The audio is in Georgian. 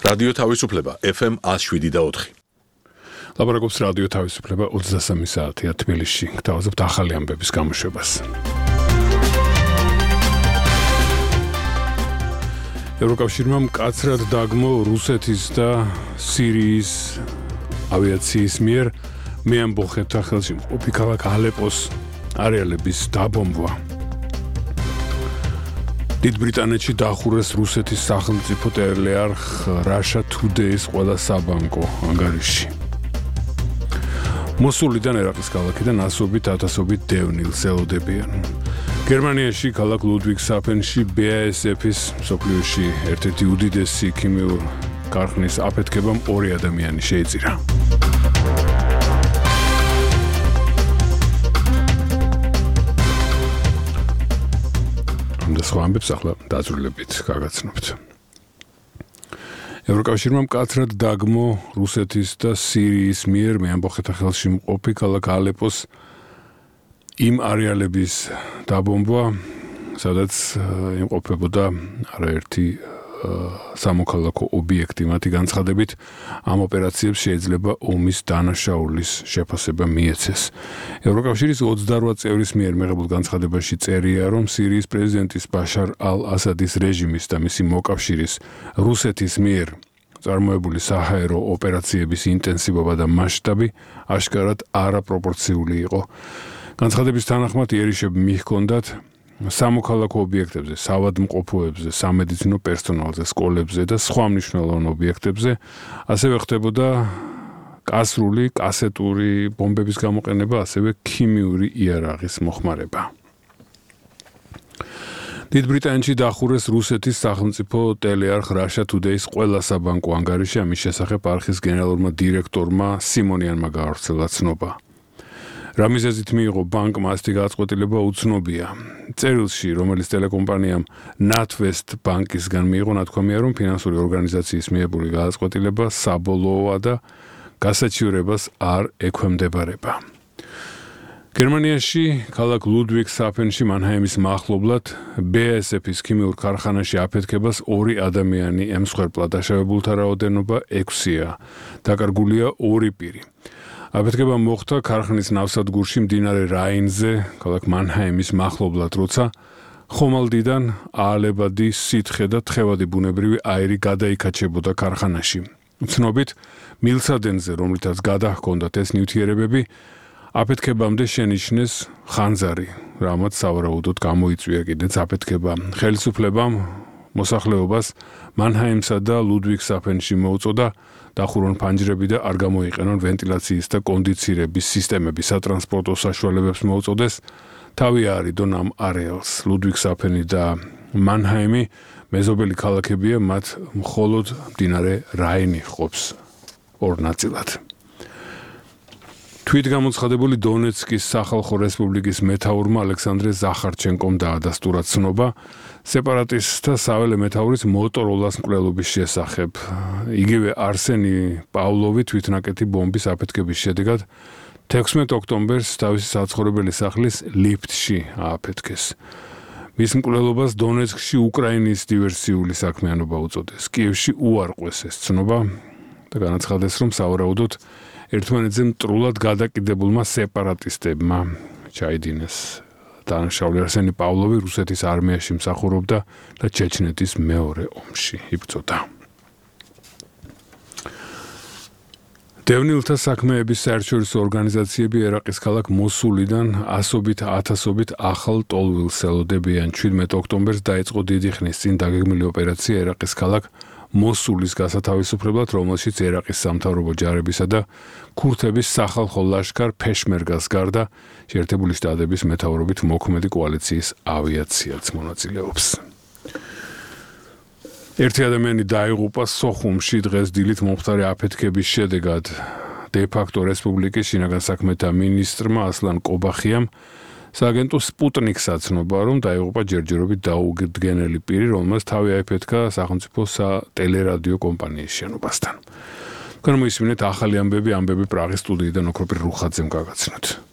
რადიო თავისუფლება FM 107.4. ლაპარაკობს რადიო თავისუფლება 23 საათია თბილისში. გთავაზობთ ახალი ამბების გამოშვებას. ევროკავშირმა მკაცრად დაგმო რუსეთის და სირიის ავიაციის მიერ მეამბოხეთთა ხელში მყოფი ქალაქ ალეპოს არეალების დაბომბვა. დიდ ბრიტანეთში დახურეს რუსეთის სახელმწიფო ტელეარხ Russia Today-ის ყველა საბანკო ანგარიში. მოსულიდან ერაყის ქალაქიდან ასობით ათასობით დევნილს ელოდებიან. გერმანიაში ქალაქ ლუდვიგსჰაფენში BASF-ის მსოფლიოში ერთ-ერთი უდიდესი ქიმიური ქარხნის აფეთქებამ 2 ადამიანი შეიწირა. და სხვა ამბებს ახლა დაწვრილებით გაგაცნობთ. ევროკავშირმა მკაცრად დაგმო რუსეთის და სირიის მიერ მეამბოხეთთა ხელში მყოფი ქალაქ ალეპოს იმ არეალების დაბომბვა, სადაც იმყოფებოდა არაერთი სამოქალაქო ობიექტი. მათი განცხადებით, ამ ოპერაციებს შეიძლება ომის დანაშაულის შეფასება მიეცეს. ევროკავშირის 28 წევრის მიერ მიღებულ განცხადებაში წერია, რომ სირიის პრეზიდენტის ბაშარ ალ-ასადის რეჟიმის და მისი მოკავშირის რუსეთის მიერ წარმოებული საჰაერო ოპერაციების ინტენსივობა და მასშტაბი აშკარად არაპროპორციული იყო. განცხადების თანახმად იერიშები მიჰქონდათ სამოქალაქო ობიექტებზე, საავადმყოფოებზე, სამედიცინო პერსონალზე, სკოლებზე და სხვა მნიშვნელოვან ობიექტებზე, ასევე ხდებოდა კასრული, კასეტური ბომბების გამოყენება, ასევე ქიმიური იარაღის მოხმარება. დიდ ბრიტანეთში დახურეს რუსეთის სახელმწიფო ტელეარხ Russia Today-ის ყველა საბანკო ანგარიში. ამის შესახებ არხის გენერალურმა დირექტორმა სიმონიანმა გაავრცელა ცნობა. რა მიზეზით მიიღო ბანკმა ასეთი გადაწყვეტილება უცნობია. წერილში, რომელიც ტელეკომპანიამ NatWest ბანკისგან მიიღო, ნათქვამია, რომ ფინანსური ორგანიზაციის მიიღებული გადაწყვეტილება საბოლოოა და გასაჩივრებას არ ექვემდებარება. გერმანიაში, ქალაქ ლუდვიგსჰაფენში მანჰაიმის მახლობლად BASF-ის ქიმიურ ქარხანაში აფეთქებას 2 ადამიანი ემსხვერპლა. დაშავებულთა რაოდენობა 6-ია. დაკარგულია 2 პირი. აფეთქება მოხდა ქარხნის ნავსადგურში მდინარე რაინზე, ქალაქ მანჰაიმის მახლობლად, როცა ხომალდიდან აალებადი სითხე და თხევადი ბუნებრივი აირი გადაიქაჩებოდა ქარხანაში. ცნობით, მილსადენზე, რომლითაც გადაჰქონდათ ეს ნივთიერებები, აფეთქებამდე შენიშნეს ხანძარი, რამაც სავარაუდოდ გამოიწვია კიდეც აფეთქება. ხელისუფლებამ მოსახლეობას მანჰაიმსა და ლუდვიგსჰაფენში მოუწოდა დახურონ ფანჯრები და არ გამოიყენონ ვენტილაციის და კონდიცირების სისტემები. სატრანსპორტო საშუალებებს მოუწოდეს თავი აარიდონ ამ არეალს. ლუდვიგსჰაფენი და მანჰაიმი მეზობელი ქალაქებია, მათ მხოლოდ მდინარე რაინი ჰყოფს 2 ნაწილად. თვითგამოცხადებული დონეცკის სახალხო რესპუბლიკის მეთაურმა ალექსანდრე ზახარჩენკომ დაადასტურა ცნობა სეპარატისტთა საველე მეთაურის მოტოროლას მკვლელობის შესახებ. იგივე არსენი პავლოვი თვითნაკეთი ბომბის აფეთქების შედეგად 16 ოქტომბერს თავისი საცხოვრებელი სახლის ლიფტში ააფეთქეს. მის მკვლელობას დონეცკში უკრაინის დივერსიული საქმიანობა უწოდეს. კიევში უარყვეს ეს ცნობა და განაცხადეს, რომ სავარაუდოდ ერთმანეთზე მტრულად გადაკიდებულმა სეპარატისტებმა ჩაიდინეს. დანაშაული არსენი პავლოვი რუსეთის არმიაში მსახურობდა და ჩეჩნეთის მეორე ომში იბრძოდა. დევნილთა საქმეების საერთაშორისო ორგანიზაციები ერაყის ქალაქ მოსულიდან ასობით ათასობით ახალ ტოლვილს ელოდებიან. 17 ოქტომბერს დაიწყო დიდი ხნის წინ დაგეგმილი ოპერაცია ერაყის ქალაქ მოსულის გასათავისუფლებლად, რომელშიც ერაყის სამთავრობო ჯარებისა და ქურთების სახალხო ლაშქარ ფეშმერგას გარდა შეერთებული შტატების მეთაურობით მოქმედი კოალიციის ავიაციაც მონაწილეობს. ერთი ადამიანი დაიღუპა სოხუმში დღეს დილით მომხდარი აფეთქების შედეგად. დე-ფაქტო რესპუბლიკის შინაგან საქმეთა მინისტრმა ასლან კობახიამ სააგენტო სპუტნიკს აცნობა, რომ დაიღუპა ჯერჯერობით დაუდგენელი პირი, რომელმაც თავი აიფეთქა სახელმწიფო ტელერადიო კომპანიის შენობასთან. განმოისმინეთ ახალი ამბები პრაღის სტუდიიდან ოქროპირ რუხაძემ გაგაცნოთ.